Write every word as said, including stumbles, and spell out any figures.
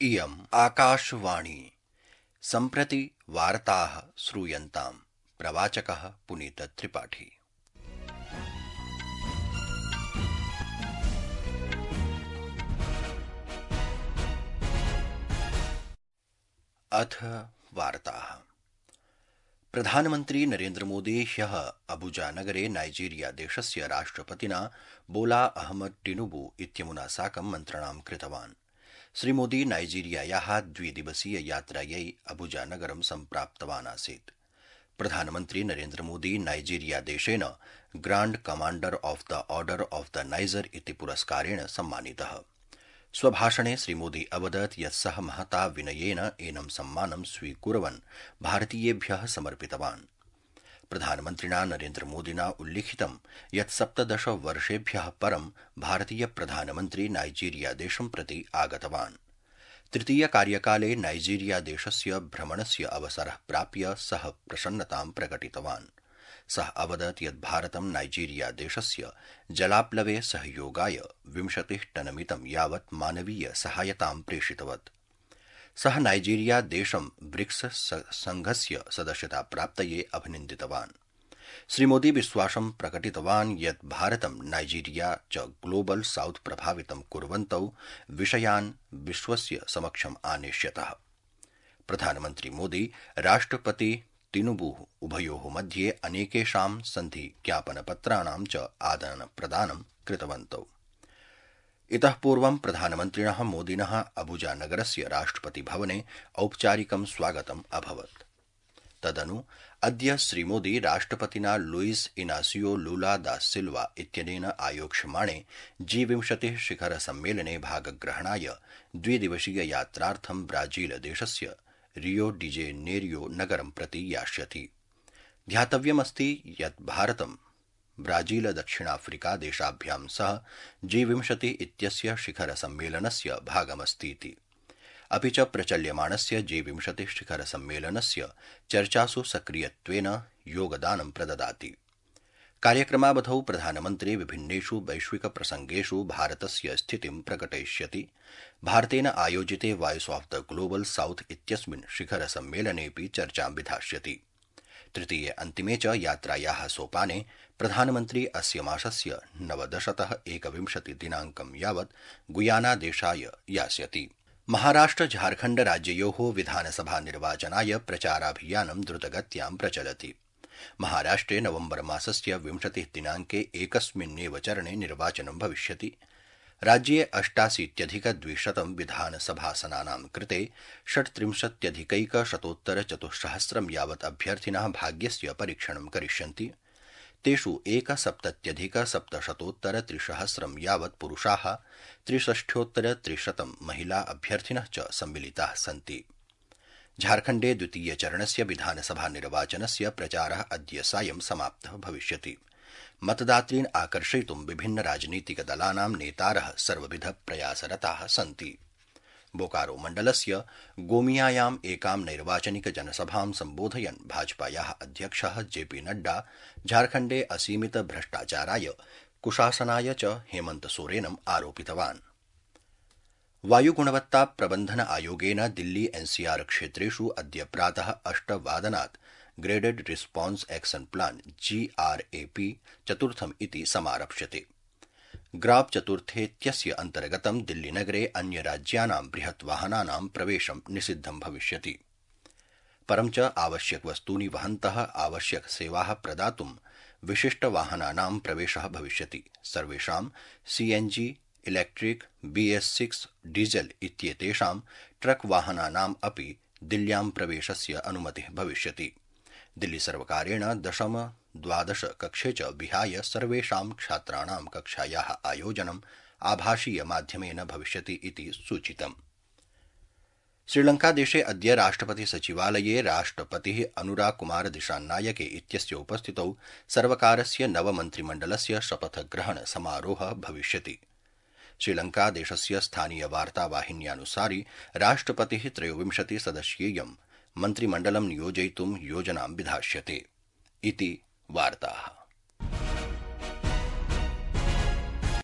इयम् आकाशवाणी सम्प्रति वार्ताः श्रूयन्ताम्। प्रवाचकः पुनीत त्रिपाठी। अथ वार्ताः। प्रधानमन्त्री नरेन्द्र मोदी ह्यः अबुजा नगरे नाइजीरिया देशस्य राष्ट्रपतिना बोला अहमद टिनुबू इत्यमुना साकं मन्त्रणां कृतवान्। श्रीमोदी नाइजीरियायाः द्विदिवसीय यात्रायै अबुजा नगरं सम्प्राप्तवान् आसीत्। प्रधानमन्त्री नरेन्द्र मोदी नाइजीरिया देशेन grand commander of the order of the niger इति पुरस्कारेण सम्मानितः। स्वभाषणे श्रीमोदी अवदत् यत् सः महता विनयेन एनं सम्मानं स्वीकुर्वन् भारतीयेभ्यः समर्पितवान्। प्रधानमन्त्रिणा नरेन्द्र मोदिना उल्लिखितं यत् सप्तदश वर्षेभ्यः परं भारतीय प्रधानमन्त्री नाइजीरिया देशं प्रति आगतवान्। तृतीय कार्यकाले नाइजीरिया देशस्य भ्रमणस्य अवसरः प्राप्य सः प्रसन्नतां प्रकटितवान्। सः अवदत् यत् भारतं नाइजीरिया देशस्य जलाप्लवे सहयोगाय विंशतिः टनमितं यावत् मानवीय सहायतां प्रेषितवत्। सः नाइजीरिया देशं ब्रिक्स संघस्य सदस्यता प्राप्तये अभिनन्दितवान्। श्रीमोदी विश्वासं प्रकटितवान् यत् भारतं नाइजीरिया च ग्लोबल साउथ प्रभावितं कुर्वन्तौ विषयान् विश्वस्य समक्षम् आनेष्यतः। प्रधानमन्त्री मोदी राष्ट्रपति तिनुबुः उभयोः मध्ये अनेकेषां सन्धि ज्ञापनपत्राणां च आदानप्रदानं कृतवन्तौ। इतः पूर्वं प्रधानमन्त्रिणः मोदिनः अबुजा नगरस्य राष्ट्रपतिभवने औपचारिकं स्वागतम् अभवत्। तदनु अद्य श्रीमोदी राष्ट्रपतिना लुईस इनासियो लूला दा सिल्वा इत्यनेन आयोक्ष्यमाणे जी विंशतिः शिखर सम्मेलने भागग्रहणाय द्विदिवसीय यात्रार्थं ब्राजील देशस्य रियो डी जेनेरियो नगरं प्रति यास्यति। ध्यातव्यमस्ति यत् भारतं ब्राजील दक्षिणाफ्रिका देशाभ्यां सह जी विंशति इत्यस्य शिखर सम्मेलनस्य भागमस्तीति। अपि च प्रचल्यमाणस्य जी विंशतिः शिखर सम्मेलनस्य चर्चासु सक्रियत्वेन योगदानं प्रददाति। कार्यक्रमावधौ प्रधानमन्त्री विभिन्नेषु वैश्विक प्रसंगेषु भारतस्य स्थितिं प्रकटयिष्यति। भारतेन आयोजिते vice of the global south इत्यस्मिन् शिखर सम्मेलनेऽपि चर्चां विधास्यति। तृतीये अन्तिमे च यात्रायाः सोपाने प्रधानमन्त्री अस्य मासस्य नवदशतः एकविंशति दिनाङ्कं यावत् गुयाना देशाय यास्यति। महाराष्ट्र झारखण्ड राज्ययोः विधानसभा निर्वाचनाय प्रचाराभियानं द्रुतगत्यां प्रचलति। महाराष्ट्रे नवम्बर मासस्य विंशतिः दिनाङ्के एकस्मिन्नेव चरणे निर्वाचनं भविष्यति। राज्ये अष्टाशीत्यधिकद्विशतं विधानसभासनानां कृते षट्त्रिंशत्यधिकैकशतोत्तरचतुस्सहस्रं यावत् अभ्यर्थिनः भाग्यस्य परीक्षणं करिष्यन्ति। तेषु एकसप्तत्यधिकसप्तशतोत्तरत्रिसहस्रं यावत् पुरुषाः, त्रिषष्ट्योत्तरत्रिशतं महिला अभ्यर्थिनः च सम्मिलिताः सन्ति। झारखण्डे द्वितीयचरणस्य विधानसभा निर्वाचनस्य प्रचारः अद्य सायं समाप्तः भविष्यति। मतदातॄन् आकर्षयितुं विभिन्न राजनीतिकदलानां नेतारः सर्वविध प्रयासरताः सन्ति। बोकारो मण्डलस्य गोमियायाम् एकां नैर्वाचनिक जनसभां सम्बोधयन् भाजपायाः अध्यक्षः जेपी नड्डा झारखण्डे असीमित भ्रष्टाचाराय, कुशासनाय च हेमन्त सोरेनम् आरोपितवान्। वायुगुणवत्ता प्रबन्धन आयोगेन दिल्ली एनसीआर क्षेत्रेषु अद्य प्रातः अष्टवादनात् graded response action plan GRAP चतुर्थम् इति समारप्स्यते। ग्राब चतुर्थेत्यस्य अन्तर्गतं दिल्लीनगरे अन्यराज्यानां बृहत् वाहनानां प्रवेशं निषिद्धं भविष्यति। परं च आवश्यक वस्तूनि वहन्तः आवश्यक सेवाः प्रदातुं विशिष्ट वाहनानां प्रवेशः भविष्यति। सर्वेषां CNG, electric, BS six diesel इत्येतेषां ट्रक वाहनानाम् अपि दिल्ल्यां प्रवेशस्य अनुमतिः भविष्यति। दिल्ली सर्वकारेण दशम द्वादश कक्षे च विहाय सर्वेषां छात्राणां कक्षायाः आयोजनम् आभासीय माध्यमेन भविष्यति इति सूचितम्। श्रीलंकादेशे अद्य राष्ट्रपति सचिवालये राष्ट्रपतिः अनुराग कुमार दिशानायके इत्यस्य उपस्थितौ सर्वकारस्य नवमन्त्रिमण्डलस्य शपथग्रहण समारोहः भविष्यति। श्रीलंकादेशस्य स्थानीय वार्तावाहिन्यानुसारि राष्ट्रपतिः त्रयोविंशति सदस्येयं मन्त्रिमण्डलं नियोजयितुं योजनां विधास्यते इति वार्ताः।